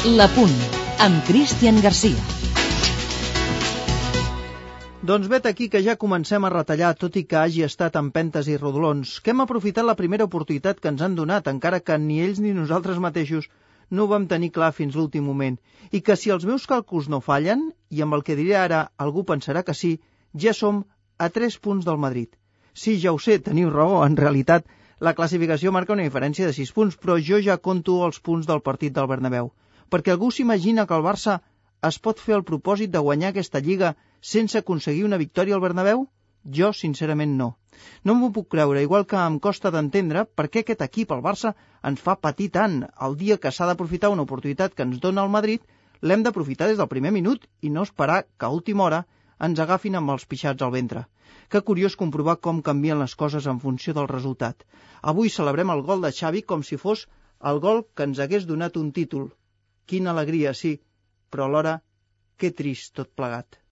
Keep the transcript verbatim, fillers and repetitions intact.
La Punt, amb Cristian Garcia. Doncs vet aquí que ja comencem a retallar, tot i que hagi estat amb pentes i rodolons, que hem aprofitat la primera oportunitat que ens han donat, encara que ni ells ni nosaltres mateixos no ho vam tenir clar fins l'últim moment, i que si els meus càlculs no fallen, i amb el que diré ara algú pensarà que sí, ja som a tres punts del Madrid. Sí, ja ho sé, teniu raó, en realitat la classificació marca una diferència de sis punts, però jo ja conto els punts del partit del Bernabéu, perquè algú s'imagina que el Barça es pot fer el propòsit de guanyar aquesta lliga sense aconseguir una victòria al Bernabéu? Jo, sincerament, no. No m'ho puc creure, igual que em costa d'entendre per què aquest equip, el Barça, ens fa patir tant. El dia que s'ha d'aprofitar una oportunitat que ens dona el Madrid, l'hem d'aprofitar des del primer minut i no esperar que a última hora ens agafin amb els pixats al ventre. Que curiós comprovar com canvien les coses en funció del resultat. Avui celebrem el gol de Xavi com si fos el gol que ens hagués donat un títol. Quina alegria, sí, però alhora, que trist tot plegat.